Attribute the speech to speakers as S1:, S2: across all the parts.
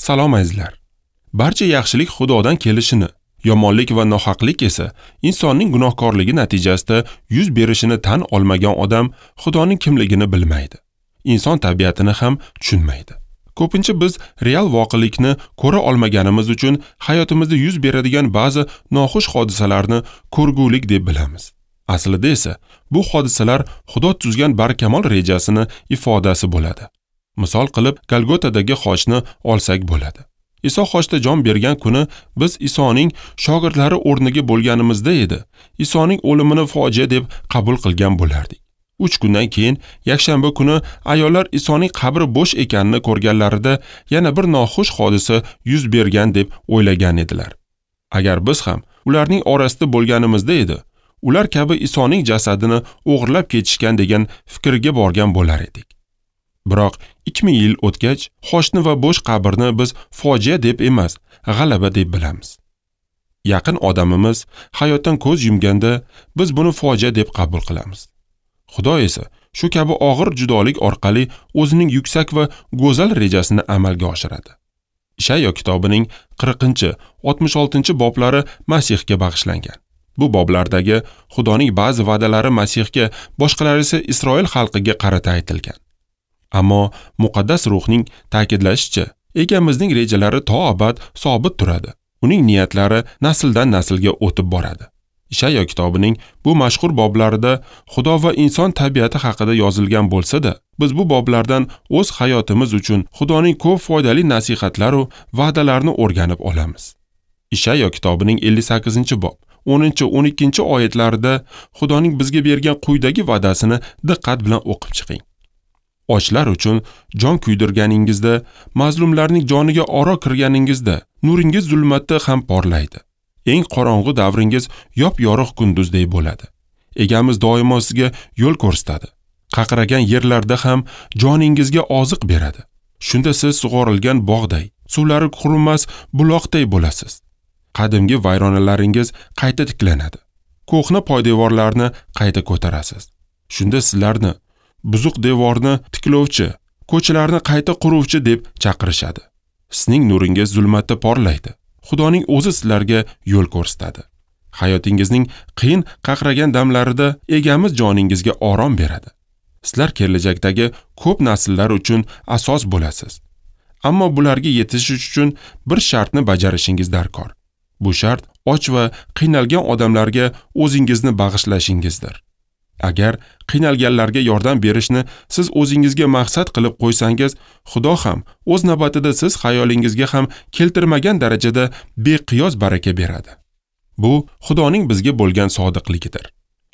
S1: Salom azizlar. Barcha yaxshilik Xudodan kelishini, yomonlik va nohaqlik esa insonning gunohkorligi natijasida yuz berishini tan olmagan odam Xudoning kimligini bilmaydi. Inson tabiatini ham tushunmaydi. Ko'pincha biz real voqelikni ko'ra olmaganimiz uchun hayotimizda yuz beradigan ba'zi noxush hodisalarni ko'rgulik deb bilamiz. Aslida esa bu hodisalar Xudo tuzgan barkamol rejasini ifodasi bo'ladi. Misol qilib Golgotadagi xochni olsak bo'ladi. Iso xochda jon bergan kuni biz Isoning shogirdlari o'rniga bo'lganimizda edi. Isoning o'limini fojia deb qabul qilgan bo'lardik. 3 kundan keyin yakshanba kuni ayollar Isoning qabri bo'sh ekanini ko'rganlarida yana bir noxush hodisa yuz bergan deb o'ylagan edilar. Agar biz ham ularning orasida bo'lganimizda edi, ular kabi Isoning jasadini o'g'irlab ketishgan degan fikrga borgan bo'lar edik. Biroq 2000 yil o'tgach, xochni va bo'sh qabrni biz fojia deb emas, g'alaba deb bilamiz. Yaqin odamimiz hayotdan ko'z yumganda biz buni fojia deb qabul qilamiz. Xudo esa shu kabi og'ir judolik orqali o'zining yuksak va go'zal rejasini amalga oshiradi. Ishayo kitobining 40-66 boblari Masihga bag'ishlangan. Bu boblardagi Xudoning ba'zi va'dalari Masihga, boshqalari esa Isroil xalqiga qarata aytilgan. Ammo muqaddas ruhning ta'kidlashicha, egamizning rejalari to abad sobit turadi. Uning niyatlari nasldan naslga o'tib boradi. Ishayo kitobining bu mashhur boblarida Xudo va inson tabiati haqida yozilgan bo'lsa-da, biz bu boblardan o'z hayotimiz uchun Xudoning ko'p foydali nasihatlari va va'dalarini o'rganib olamiz. Ishayo kitobining 58-bob 10-12 oyatlarida Xudoning bizga bergan quyidagi va'dasini diqqat bilan o'qib chiqing. Ochlar uchun jon kuydirganingizda, mazlumlarning joniga oro kirganingizda, nuringiz zulmatda ham porlaydi. Eng qorong'u davringiz yop-yorug' kunduzdek bo'ladi. Egamiz doimo sizga yo'l ko'rsatadi. Qaqragan yerlarda ham joningizga oziq beradi. Shunda siz sug'orilgan bog'day, suvlari qurimas buloqday bo'lasiz. Qadimgi vayronalaringiz qayta tiklanadi. Ko'hna poydevorlarni qayta ko'tarasiz. Shunda sizlarni buzuq devorni tiklovchi, ko'chalarni qayta quruvchi deb chaqirishadi. Sizning nuringiz zulmatda porlaydi. Xudoning o'zi sizlarga yo'l ko'rsatadi. Hayotingizning qiyin qaqragan damlarida egamiz joningizga orom beradi. Sizlar kelajakdagi ko'p nasllar uchun asos bo'lasiz. Ammo bularga yetishish uchun bir shartni bajarishingiz darkor. Bu shart och va qiynalgan odamlarga o'zingizni bag'ishlashingizdir. Agar qiynalganlarga yordam berishni siz o'zingizga maqsad qilib qo'ysangiz, Xudo ham o'z navbatida siz xayolingizga ham keltirmagan darajada beqiyos baraka beradi. Bu Xudoning bizga bo'lgan sodiqligidir.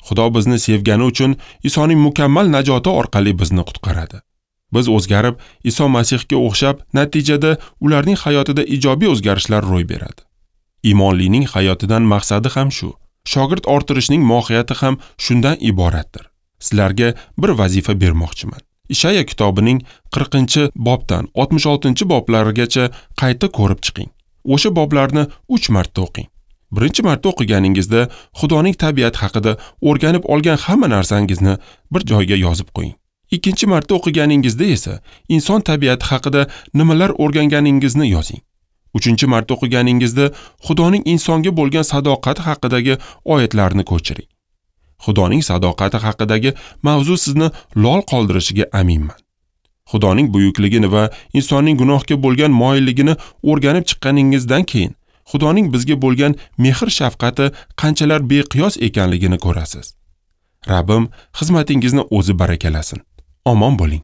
S1: Xudo bizni sevgani uchun Isoning mukammal najoti orqali bizni qutqaradi. Biz o'zgarib, Iso Masihga o'xshab, natijada ularning hayotida ijobiy o'zgarishlar ro'y beradi. Iymonlining hayotidan maqsadi ham shu. Shogird orttirishning mohiyati ham shundan iboratdir. Sizlarga bir vazifa bermoqchiman. Ishayo kitobining 40-bobdan 66-boblarigacha qayta ko'rib chiqing. O'sha boblarni 3 marta o'qing. Birinchi marta o'qiganingizda Xudoning tabiati haqida o'rganib olgan hamma narsangizni bir joyga yozib qo'ying. Ikkinchi marta o'qiganingizda esa inson tabiati haqida nimalar o'rganganingizni yozing. 3-chi marta o'qiganingizda Xudoning insonga bo'lgan sadoqati haqidagi oyatlarni ko'chiring. Xudoning sadoqati haqidagi mavzu sizni lol qoldirishiga aminman. Xudoning buyukligini va insonning gunohga bo'lgan moyilligini o'rganib chiqqaningizdan keyin Xudoning bizga bo'lgan mehr-shafqati qanchalar beqiyos ekanligini ko'rasiz. Rabbim xizmatingizni o'zi barakalasin. Omon bo'ling.